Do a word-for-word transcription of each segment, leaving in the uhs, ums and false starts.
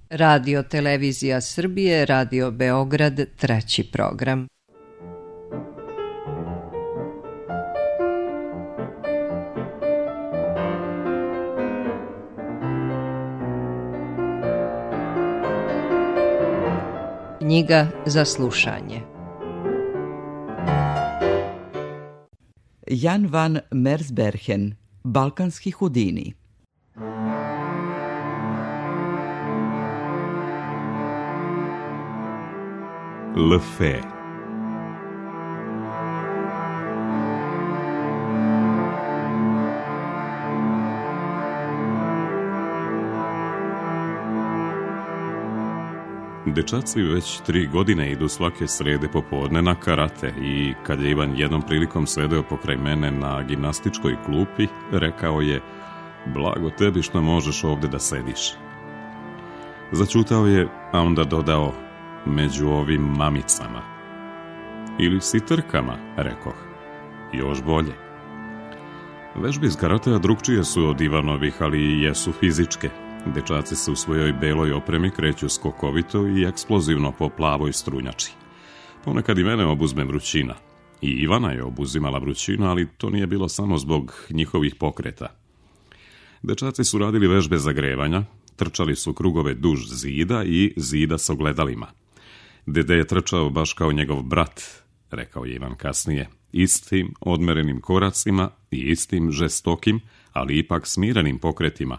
Radio Televizija Srbije, Radio Beograd, treći program. Knjiga za slušanje. Jan van Mersbergen, Balkanski Houdini. Le Fée. Dečaci već tri godine idu svake srede popodne na karate i kad je Ivan jednom prilikom sedeo pokraj mene na gimnastičkoj klupi, rekao je: blago tebi što možeš ovde da sediš. Začutao je, a onda dodao: među ovim mamicama. Ili sitrkama, rekoh. Još bolje. Vežbe iz karatea drugčije su od Ivanovih, ali i jesu fizičke. Dečaci se u svojoj beloj opremi kreću skokovito i eksplozivno po plavoj strunjači. Ponekad i mene obuzme vrućina. I Ivana je obuzimala vrućinu, ali to nije bilo samo zbog njihovih pokreta. Dečaci su radili vežbe zagrevanja, trčali su krugove duž zida i zida s ogledalima. Dede je trčao baš kao njegov brat, rekao je Ivan kasnije, istim odmerenim koracima i istim žestokim, ali ipak smirenim pokretima,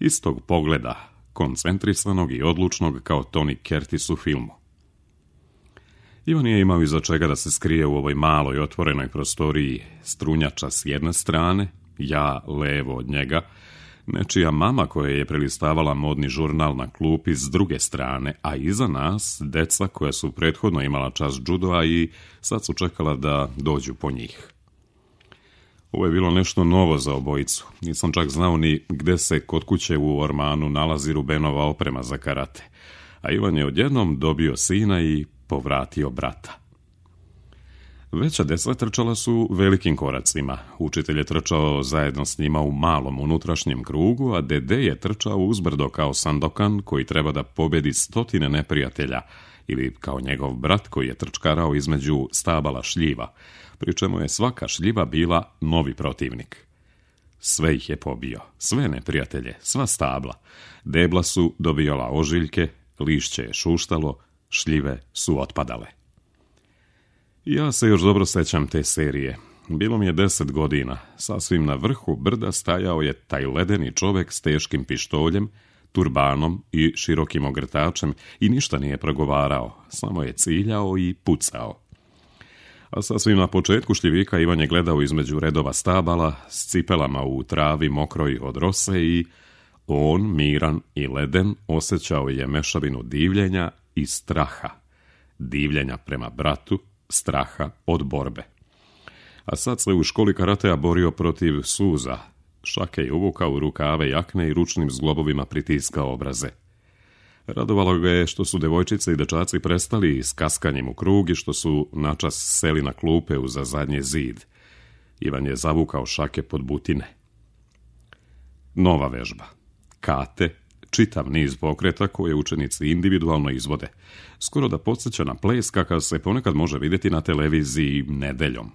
istog pogleda, koncentrisanog i odlučnog kao Tony Curtis u filmu. Ivan nije imao iza čega da se skrije u ovoj maloj otvorenoj prostoriji, strunjača s jedne strane, ja levo od njega, nečija mama koja je prelistavala modni žurnal na klupi s druge strane, a iza nas deca koja su prethodno imala čas džudoa i sad su čekala da dođu po njih. Ovo je bilo nešto novo za obojicu. Nisam čak znao ni gde se kod kuće u ormanu nalazi Rubenova oprema za karate, a Ivan je odjednom dobio sina i povratio brata. Veća deca trčala su velikim koracima. Učitelj je trčao zajedno s njima u malom unutrašnjem krugu, a Dede je trčao uzbrdo kao Sandokan koji treba da pobedi stotine neprijatelja, ili kao njegov brat koji je trčkarao između stabala šljiva, pri čemu je svaka šljiva bila novi protivnik. Sve ih je pobio, sve neprijatelje, sva stabla. Debla su dobijala ožiljke, lišće je šuštalo, šljive su otpadale. Ja se još dobro sećam te serije. Bilo mi je deset godina. Sasvim na vrhu brda stajao je taj ledeni čovek s teškim pištoljem, turbanom i širokim ogrtačem i ništa nije progovarao, samo je ciljao i pucao. A sasvim na početku šljivika Ivan je gledao između redova stabala s cipelama u travi mokroj od rose i on, miran i leden, osjećao je mešavinu divljenja i straha. Divljenja prema bratu, straha od borbe. A sad se u školi karatea borio protiv suza. Šake je uvukao u rukave jakne i ručnim zglobovima pritiskao obraze. Radovalo ga je što su devojčice i dečaci prestali s kaskanjem u krug i što su načas seli na klupe uza zadnji zid. Ivan je zavukao šake pod butine. Nova vežba. Kate, čitav niz pokreta koje učenici individualno izvode. Skoro da podsjeća na ples kakav se ponekad može vidjeti na televiziji nedeljom.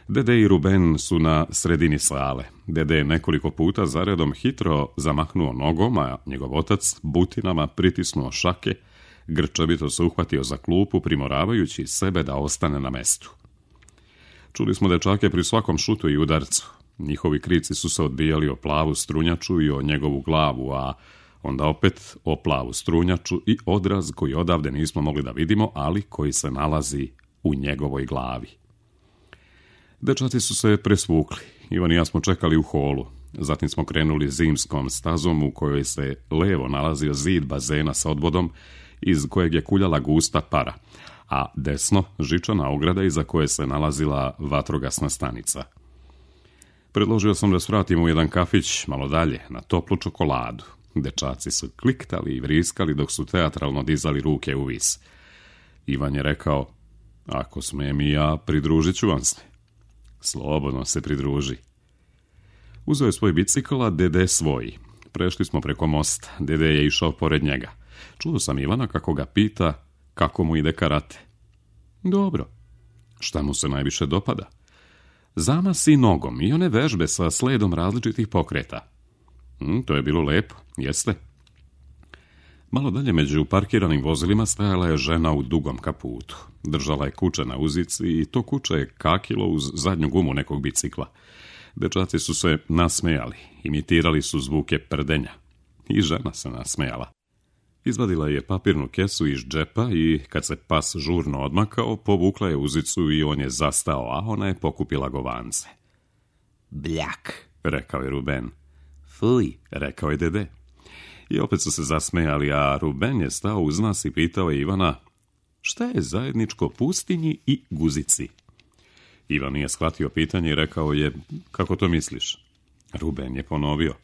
Dede i Ruben su na sredini sale. Dede je nekoliko puta zaredom hitro zamahnuo nogom, a njegov otac butinama pritisnuo šake, grčevito se uhvatio za klupu, primoravajući sebe da ostane na mestu. Čuli smo dečake pri svakom šutu i udarcu. Njihovi krici su se odbijali o plavu strunjaču i o njegovu glavu, a onda opet o plavu strunjaču i odraz koji odavde nismo mogli da vidimo, ali koji se nalazi u njegovoj glavi. Dečaci su se presvukli. Ivan i ja smo čekali u holu. Zatim smo krenuli zimskom stazom u kojoj se levo nalazio zid bazena sa odvodom iz kojeg je kuljala gusta para, a desno žičana ograda iza koje se nalazila vatrogasna stanica. Predložio sam da svratimo u jedan kafić malo dalje, na toplu čokoladu. Dečaci su kliktali i vriskali dok su teatralno dizali ruke u vis. Ivan je rekao: ako smijem i ja, pridružit ću vam se. Slobodno se pridruži. Uzeo je svoj bicikl, a Dede svoj. Prešli smo preko mosta, dede je išao pored njega. Čuo sam Ivana kako ga pita kako mu ide karate. Dobro. Šta mu se najviše dopada? Zamasi nogom i one vežbe sa sledom različitih pokreta. Hm, to je bilo lepo, jeste? Malo dalje među parkiranim vozilima stajala je žena u dugom kaputu. Držala je kuće na uzici i to kuće je kakilo uz zadnju gumu nekog bicikla. Dečaci su se nasmejali, imitirali su zvuke prdenja. I žena se nasmejala. Izvadila je papirnu kesu iz džepa i, kad se pas žurno odmakao, povukla je uzicu i on je zastao, a ona je pokupila govance. Bljak, rekao je Ruben. Fuj, rekao je dede. I opet su se zasmejali, a Ruben je stao uz nas i pitao je Ivana, šta je zajedničko pustinji i guzici? Ivan nije shvatio pitanje i rekao je, kako to misliš? Ruben je ponovio,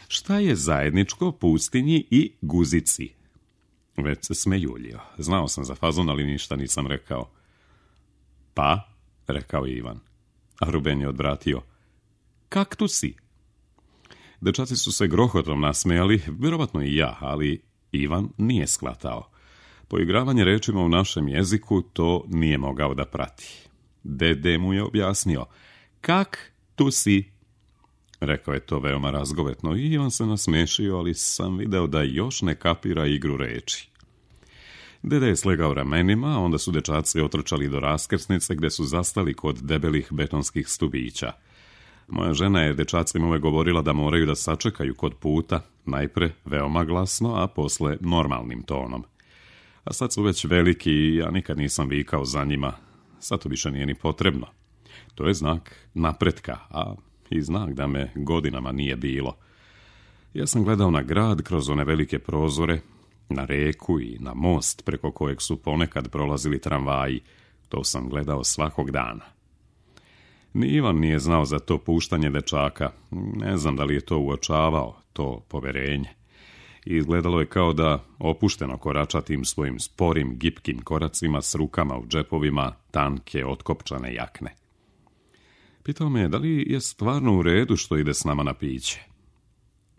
šta je zajedničko pustinji i guzici? Već se smejuljio. Znao sam za fazon, ali ništa nisam rekao. Pa, rekao je Ivan. A Ruben je odvratio, kaktusi. Dečaci su se grohotom nasmejali, vjerovatno i ja, ali Ivan nije shvatao. Poigravanje rečima u našem jeziku to nije mogao da prati. Dede mu je objasnio, kak tu si? Rekao je to veoma razgovetno i on se nasmešio, ali sam video da još ne kapira igru reči. Dede je slegao ramenima, onda su dečaci otrčali do raskrsnice gde su zastali kod debelih betonskih stubića. Moja žena je dečacima uvek govorila da moraju da sačekaju kod puta, najpre veoma glasno, a posle normalnim tonom. A sad su već veliki i ja nikad nisam vikao za njima. Sad to više nije ni potrebno. To je znak napretka, a i znak da me godinama nije bilo. Ja sam gledao na grad kroz one velike prozore, na reku i na most preko kojeg su ponekad prolazili tramvaji. To sam gledao svakog dana. Ni Ivan nije znao za to puštanje dečaka. Ne znam da li je to uočavao, to poverenje. I izgledalo je kao da opušteno korača tim svojim sporim, gipkim koracima s rukama u džepovima tanke, otkopčane jakne. Pitao me da li je stvarno u redu što ide s nama na piće.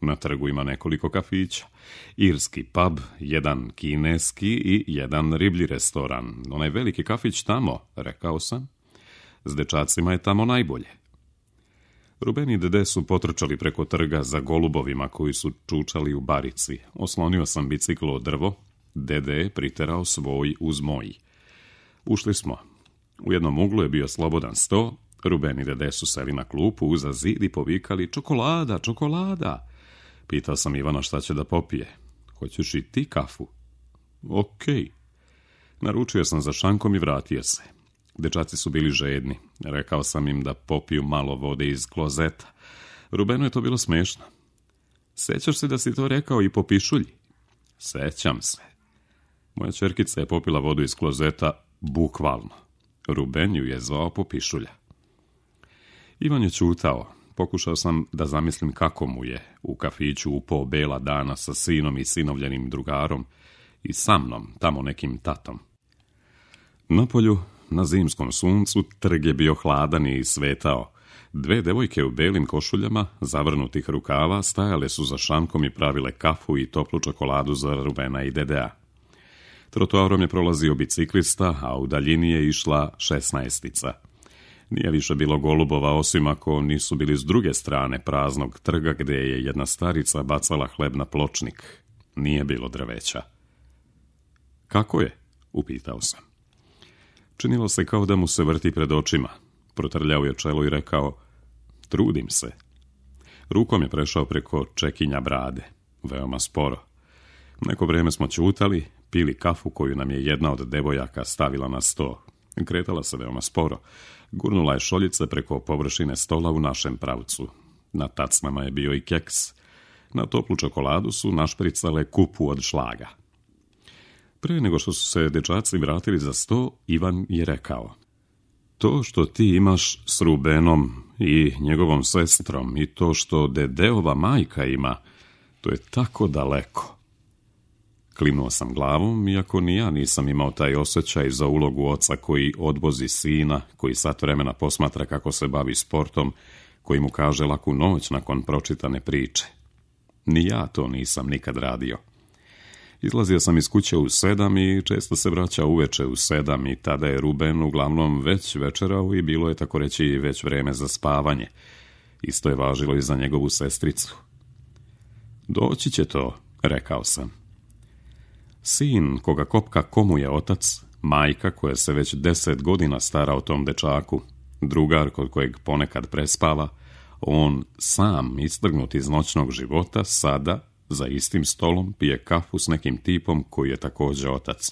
Na trgu ima nekoliko kafića. Irski pub, jedan kineski i jedan riblji restoran. Onaj veliki kafić tamo, rekao sam. S dečacima je tamo najbolje. Ruben i dede su potrčali preko trga za golubovima koji su čučali u barici. Oslonio sam bicikl od drvo, dede je priterao svoj uz moj. Ušli smo. U jednom uglu je bio slobodan sto, Ruben i dede su seli na klupu uza zid i povikali čokolada, čokolada. Pitao sam Ivana šta će da popije. Hoćeš i ti kafu? Okej. Naručio sam za šankom i vratio se. Dečaci su bili žedni. Rekao sam im da popiju malo vode iz klozeta. Rubenu je to bilo smešno. Sećaš se da si to rekao i po pišulji? Sećam se. Moja ćerkica je popila vodu iz klozeta bukvalno. Ruben ju je zvao po pišulja. Ivan je ćutao. Pokušao sam da zamislim kako mu je u kafiću upao bela dana sa sinom i sinovljenim drugarom i sa mnom, tamo nekim tatom. Napolju, na zimskom suncu, trg je bio hladan i svetao. Dve devojke u belim košuljama, zavrnutih rukava, stajale su za šankom i pravile kafu i toplu čokoladu za Rubena i dedea. Trotoarom je prolazio biciklista, a u daljini je išla šesnaestica. Nije više bilo golubova, osim ako nisu bili s druge strane praznog trga gde je jedna starica bacala hleb na pločnik. Nije bilo drveća. Kako je? Upitao sam. Činilo se kao da mu se vrti pred očima. Protrljao je čelo i rekao, trudim se. Rukom je prešao preko čekinja brade. Veoma sporo. Neko vrijeme smo ćutali, pili kafu koju nam je jedna od devojaka stavila na sto. Kretala se veoma sporo. Gurnula je šoljice preko površine stola u našem pravcu. Na tacnama je bio i keks. Na toplu čokoladu su našpricale kupu od šlaga. Pre nego što su se dečaci vratili za sto, Ivan je rekao, to što ti imaš s Rubenom i njegovom sestrom i to što dedeova majka ima, to je tako daleko. Klimnuo sam glavom, iako ni ja nisam imao taj osjećaj za ulogu oca koji odvozi sina, koji sat vremena posmatra kako se bavi sportom, koji mu kaže laku noć nakon pročitane priče. Ni ja to nisam nikad radio. Izlazio sam iz kuće u sedam i često se vraćao uveče u sedam i tada je Ruben uglavnom već večerao i bilo je tako reći već vreme za spavanje. Isto je važilo i za njegovu sestricu. Doći će to, rekao sam. Sin koga kopka komu je otac, majka koja se već deset godina stara o tom dečaku, drugar kod kojeg ponekad prespava, on sam istrgnut iz noćnog života sada za istim stolom pije kafu s nekim tipom koji je također otac.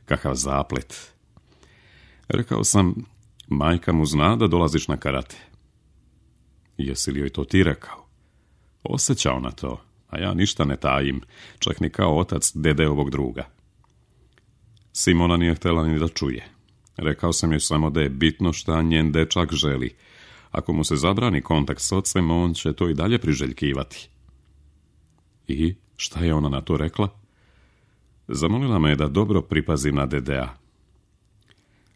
Kakav zaplet. Rekao sam, majka mu zna da dolaziš na karate. Jesi li joj to ti rekao? Osjećao na to, a ja ništa ne tajim, čak ni kao otac dedeovog druga. Simona nije htjela ni da čuje. Rekao sam joj samo da je bitno šta njen dečak želi. Ako mu se zabrani kontakt s ocem, on će to i dalje priželjkivati. I šta je ona na to rekla? Zamolila me da dobro pripazim na dedea.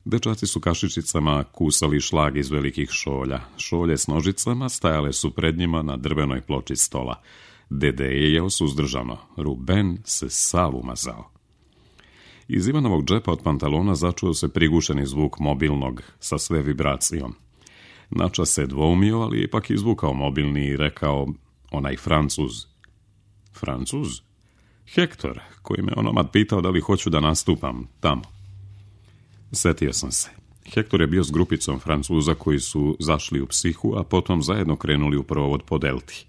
Dečaci su kašičicama kusali šlag iz velikih šolja. Šolje s nožicama stajale su pred njima na drvenoj ploči stola. Dede je jeo suzdržano. Ruben se sav umazao. Iz Ivanovog džepa od pantalona začuo se prigušeni zvuk mobilnog sa sve vibracijom. Načas se dvoumio, ali ipak izvukao mobilni i rekao, onaj Francuz. Francuz? Hektor, koji me onomad pitao da li hoću da nastupam tamo. Setio sam se. Hektor je bio s grupicom Francuza koji su zašli u psihu, a potom zajedno krenuli u provod po delti.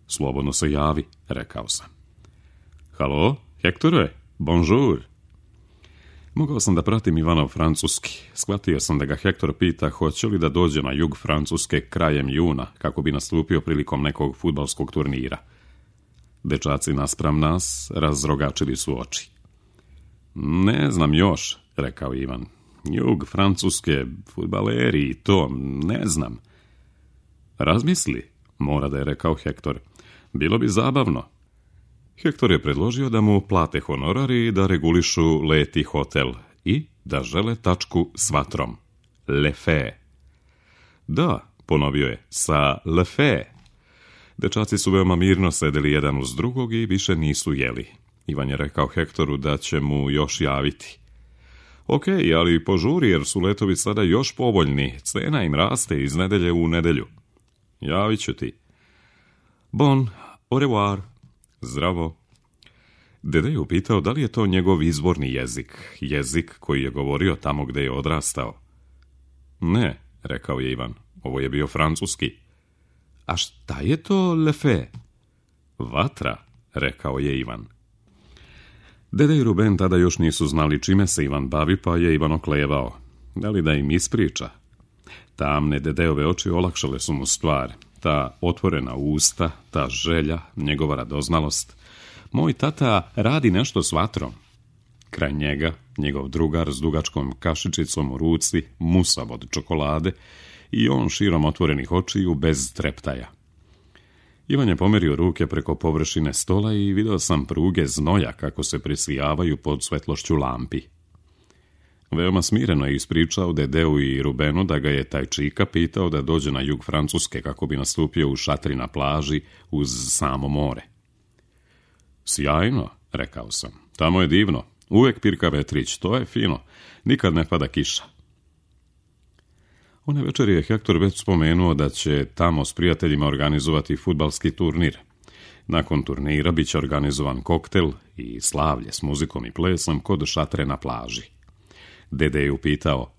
Slobodno se javi, rekao sam. Halo, Hektore, bonjour. Mogao sam da pratim Ivanov francuski. Shvatio sam da ga Hektor pita hoće li da dođe na jug Francuske krajem juna, kako bi nastupio prilikom nekog fudbalskog turnira. Dečaci naspram nas razrogačili su oči. Ne znam još, rekao Ivan. Jug Francuske, fudbaleri i to, ne znam. Razmisli, mora da je rekao Hektor. Bilo bi zabavno. Hektor je predložio da mu plate honorari i da regulišu let i hotel i da žele tačku s vatrom. Le fe. Da, ponovio je, sa le fe. Dečaci su veoma mirno sedeli jedan uz drugog i više nisu jeli. Ivan je rekao Hektoru da će mu još javiti. Ok, ali požuri jer su letovi sada još povoljni. Cena im raste iz nedelje u nedelju. Javit ću ti. Bon, au revoir. Zdravo. Dede je upitao da li je to njegov izvorni jezik, jezik koji je govorio tamo gde je odrastao. Ne, rekao je Ivan, ovo je bio francuski. A šta je to le fe? Vatra, rekao je Ivan. Dede i Ruben tada još nisu znali čime se Ivan bavi, pa je Ivan oklevao. Da li da im ispriča? Tamne dedeove oči olakšale su mu stvar. Ta otvorena usta, ta želja, njegova radoznalost. Moj tata radi nešto s vatrom. Kraj njega, njegov drugar s dugačkom kašičicom u ruci, musav od čokolade i on širom otvorenih očiju bez treptaja. Ivan je pomerio ruke preko površine stola i vidio sam pruge znoja kako se presijavaju pod svetlošću lampi. Veoma smireno je ispričao Dedeu i Rubenu da ga je taj čika pitao da dođe na jug Francuske kako bi nastupio u šatri na plaži uz samo more. Sjajno, rekao sam. Tamo je divno. Uvek pirka vetrić, to je fino. Nikad ne pada kiša. One večeri je Hektor već spomenuo da će tamo s prijateljima organizovati fudbalski turnir. Nakon turnira bit će organizovan koktel i slavlje s muzikom i plesom kod šatre na plaži. Dede je upitao,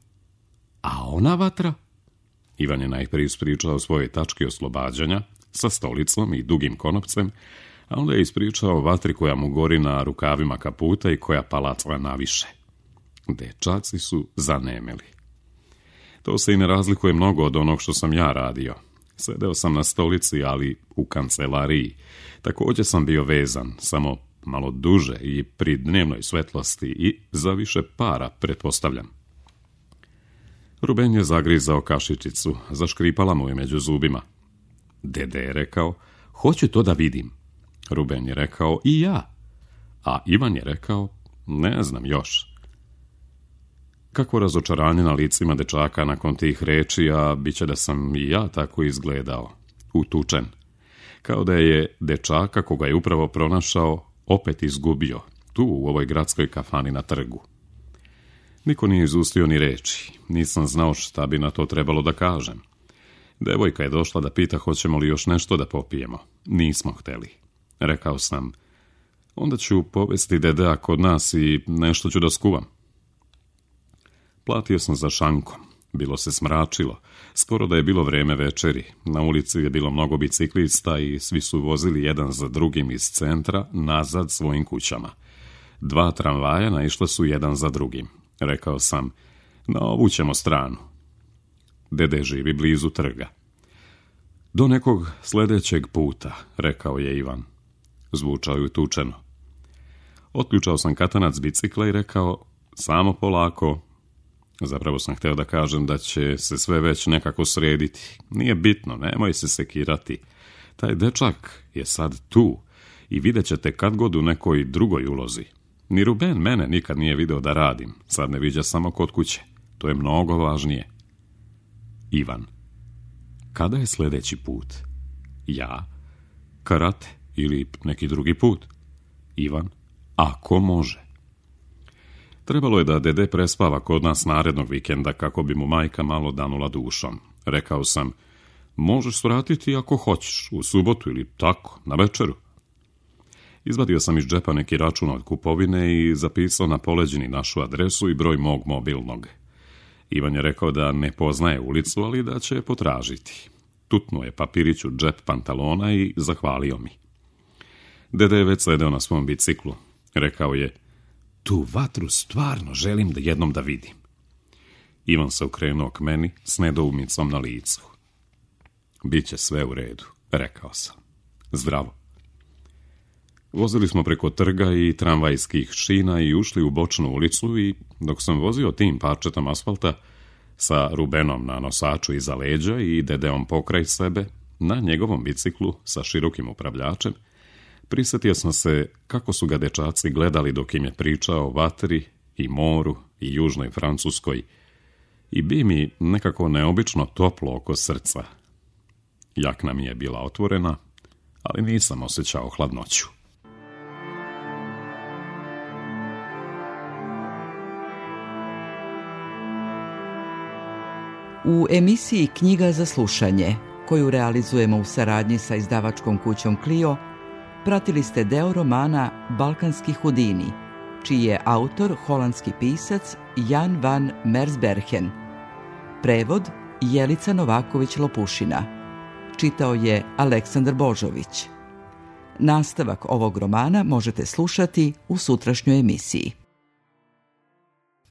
a ona vatra? Ivan je najprije ispričao svoje tačke oslobađanja sa stolicom i dugim konopcem, a onda je ispričao vatri koja mu gori na rukavima kaputa i koja palaca naviše. Dečaci su zanemeli. To se i ne razlikuje mnogo od onog što sam ja radio. Sedeo sam na stolici, ali u kancelariji. Također sam bio vezan, samo malo duže i pri dnevnoj svetlosti i za više para, pretpostavljam. Ruben je zagrizao kašičicu, zaškripala mu je među zubima. Dede je rekao, hoću to da vidim. Ruben je rekao, i ja. A Ivan je rekao, ne znam još. Kakvo razočaranje na licima dečaka nakon tih reči, a bit će da sam i ja tako izgledao. Utučen. kao da je dečaka koga je upravo pronašao opet izgubio, tu u ovoj gradskoj kafani na trgu. Niko nije izustio ni reči, nisam znao šta bi na to trebalo da kažem. Devojka je došla da pita hoćemo li još nešto da popijemo. Nismo hteli. Rekao sam, onda ću povesti dedea kod nas i nešto ću da skuvam. Platio sam za šankom. Bilo se smračilo. Skoro da je bilo vreme večeri. Na ulici je bilo mnogo biciklista i svi su vozili jedan za drugim iz centra nazad svojim kućama. Dva tramvaja naišla su jedan za drugim. Rekao sam, na ovu ćemo stranu. Dede živi blizu trga. Do nekog sljedećeg puta, rekao je Ivan. Zvučao je tučeno. Otključao sam katanac bicikla i rekao, samo polako. Zapravo sam htio da kažem da će se sve već nekako srediti. Nije bitno, nemoj se sekirati. Taj dečak je sad tu i vidjet ćete kad god u nekoj drugoj ulozi. Ni Ruben mene nikad nije video da radim, sad ne viđa samo kod kuće. To je mnogo važnije. Ivan. Kada je sljedeći put? Ja? Karate ili neki drugi put? Ivan. Ako može. Trebalo je da dede prespava kod nas narednog vikenda kako bi mu majka malo danula dušom. Rekao sam, možeš svratiti ako hoćeš, u subotu ili tako, na večeru. Izvadio sam iz džepa neki račun od kupovine i zapisao na poleđini našu adresu i broj mog mobilnog. Ivan je rekao da ne poznaje ulicu, ali da će je potražiti. Tutnuo je papirić u džep pantalona i zahvalio mi. Dede je već sedeo na svom biciklu. Rekao je, tu vatru stvarno želim da jednom da vidim. Ivan se okrenuo k meni s nedoumicom na licu. Biće sve u redu, rekao sam. Zdravo. Vozili smo preko trga i tramvajskih šina i ušli u bočnu ulicu i dok sam vozio tim parčetom asfalta sa Rubenom na nosaču iza leđa i dedeom pokraj sebe, na njegovom biciklu sa širokim upravljačem, prisjetio sam se kako su ga dečaci gledali dok im je pričao o vatri i moru i južnoj Francuskoj i bi mi nekako neobično toplo oko srca. Jakna mi je bila otvorena, ali nisam osjećao hladnoću. U emisiji Knjiga za slušanje, koju realizujemo u saradnji sa izdavačkom kućom Clio, pratili ste deo romana Balkanski Hudini, čiji je autor holandski pisac Jan van Mersbergen. Prevod Jelica Novaković-Lopušina. Čitao je Aleksandar Božović. Nastavak ovog romana možete slušati u sutrašnjoj emisiji.